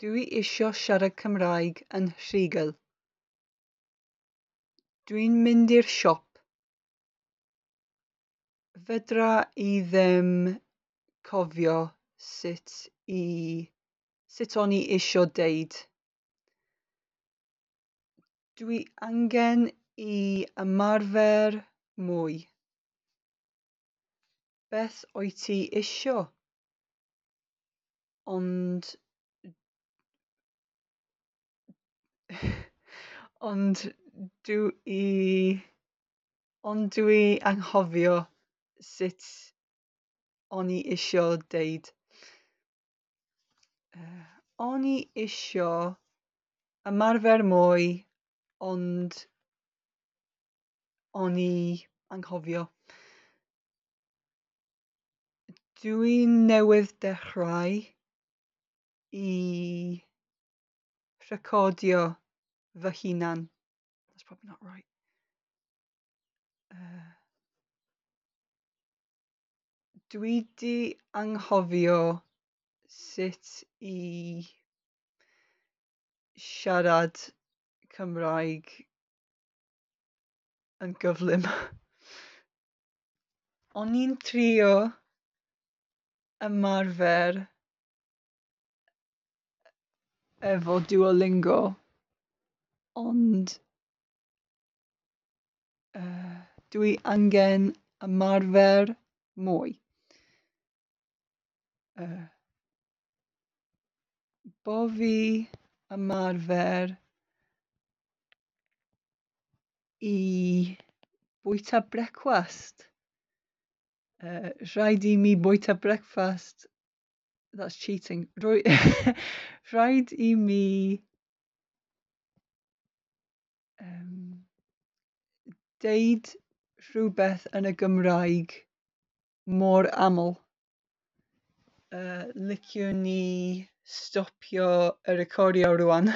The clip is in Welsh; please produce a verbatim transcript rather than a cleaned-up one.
Dwi isio siarad Cymraeg yn rhugl. Dwi'n mynd i'r siop. Fedra i ddim cofio sut i sut o'n i isio deud. Dwi angen i ymarfer mwy. Beth wyt ti isio? Ond ond dw i ond dwi anghofio sut o'n i isio deud. Uh, o'n i isio ymarfer mwy, ond o'n i anghofio. Dwi newydd dechrau i recordio fy hunan. That's probably not right. Uh, dwi 'di anghofio sut i siarad Cymraeg yn gyflym. O'n i'n trio ymarfer efo Duolingo, ond uh, dwi angen ymarfer mwy. Uh, bo fi ymarfer i bwyta brecwast. Uh, rhaid i mi bwyta brecwast. That's cheating. Rwy, rhaid i mi um, deud rhywbeth yn y Gymraeg mor aml. Uh, liciwn ni stopio y recordio rwan.